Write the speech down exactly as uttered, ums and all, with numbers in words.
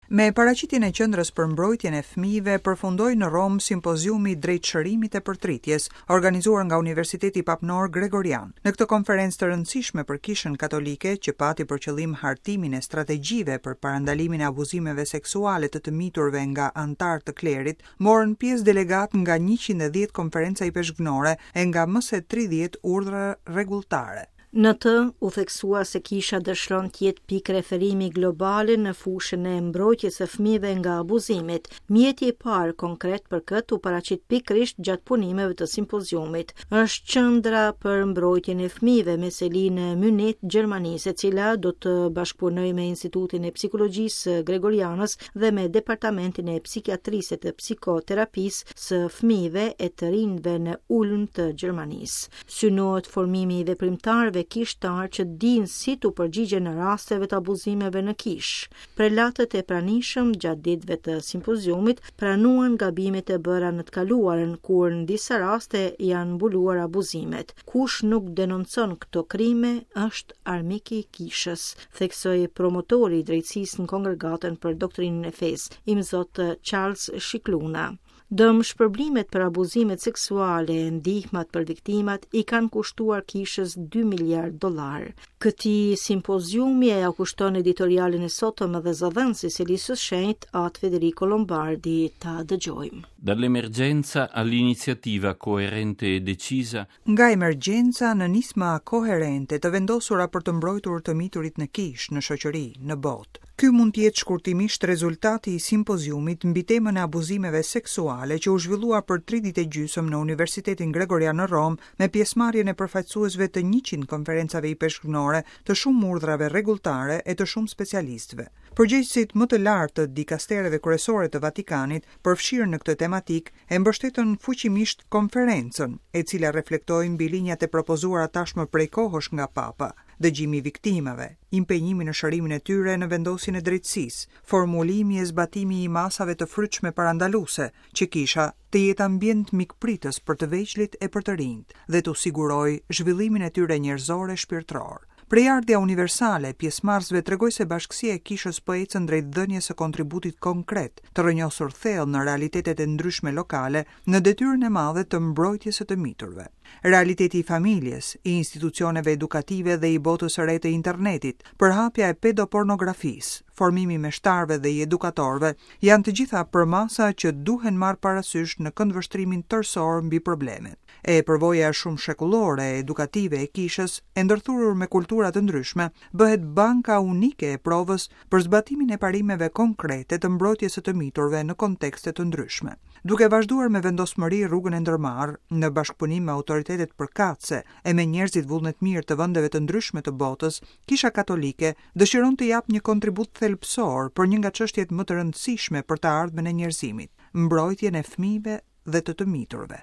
Me paraqitjen e Qendrës për Mbrojtjen e Fëmijëve përfundoi në Romë simpoziumi drejt shërimit e përtritjes, organizuar nga Universiteti Papnor Gregorian. Në këtë konferencë të rëndësishme për Kishën Katolike, që pati për qëllim hartimin e strategjive për parandalimin e abuzimeve seksuale të të miturve nga anëtarë të klerit, morën pjesë delegat nga njëqind e dhjetë konferenca ipeshkvnore e nga më se tridhjetë urdhra rregulltare. Në të u theksua se kisha dëshiron të jetë pikë referimi globale në fushën e mbrojtjes së fëmijëve nga abuzimet. Mjeti i parë konkret për këtë u paraqit pikërisht gjatë punimeve të simpoziumit. Është qendra për mbrojtjen e fëmijëve me seli në Munich, Gjermanisë, e cila do të bashkëpunojë me Institutin e Psikologjisë Gregorianës dhe me Departamentin e Psikiatrisë e të Psikoterapisë së fëmijëve e të rinjve në Ulm të Gjermanisë. Synohet formimi i veprimtarëve kishtar që dinë si t'u përgjigjen në rasteve të abuzimeve në kishë. Prelatët e pranishëm gjatë ditëve të simpoziumit pranuan gabimet e bëra në të kaluarën, kur në disa raste janë mbuluar abuzimet. Kush nuk denoncon këto krime është armik i kishës, theksoi promotori i drejtësisë në Kongregatën për Doktrinën e Fesë, Imzot Charles Scicluna. Dëm shpërblimet për abuzimet seksuale e ndihmat për viktimat i kanë kushtuar kishës dy miliard dollar. Këtij simpoziumi e kushton editorialin e sotëm edhe zëdhënësi i Selisë së Shenjtë, At Federico Lombardi, ta dëgjojmë. Dall'emergenza all'iniziativa coerente e decisa. Nga emergjenca në nisma koherente të vendosura për të mbrojtur të miturit në kishë, në shoqëri, në botë. Ky mund të jetë shkurtimisht rezultati i simpoziumit mbi temën e abuzimeve seksuale që u zhvillua për tri ditë e gjysmë në Universitetin Gregorian në Romë me pjesëmarrjen e përfaqësuesve të njëqind konferencave ipeshkvnore, të shumë urdhrave rregulltare e të shumë specialistëve. Përgjegjësit më të lartë të dikastereve kryesore të Vatikanit, përfshirë në këtë tematik, e mbështetën fuqimisht konferencën, e cila reflektoi mbi linjat e propozuara tashmë prej kohësh nga Papa: dëgjimi i viktimave, impenjimi në shërimin e tyre në vendosjen e drejtësisë, formulimi e zbatimi i masave të frytshme parandaluese, që kisha të jetë ambient mikpritës për të vegjlit e për të rinjt dhe t'u sigurojë zhvillimin e tyre njerëzor e shpirtëror. Prejardhja universale e pjesëmarrësve tregoi se bashkësia e kishës po ecën drejt dhënies së kontributit konkret, të rrënjosur thellë në realitetet e ndryshme lokale, në detyrën e madhe të mbrojtjes së të miturve. Realiteti i familjes, i institucioneve edukative dhe i botës së re të internetit, përhapja e pedopornografisë, formimi i meshtarëve dhe i edukatorëve, janë të gjitha përmasa që duhen marrë parasysh në këndvështrimin tërësor mbi problemet. E përvoja shumë shekullore e edukative e kishës, e ndërthurur me kultura të ndryshme, bëhet banka unike e provës për zbatimin e parimeve konkrete të mbrojtjes së të miturve në kontekste të ndryshme. Duke vazhduar me vendosmëri rrugën e ndërmarrë në bashkëpunim me autoritetet përkatëse e me njerëzit vullnetmirë të vendeve të ndryshme të botës, Kisha Katolike dëshiron të japë një kontribut thelbësor për një nga çështjet më të rëndësishme për të ardhmen e njerëzimit, mbrojtjen e fëmijëve dhe të të miturve.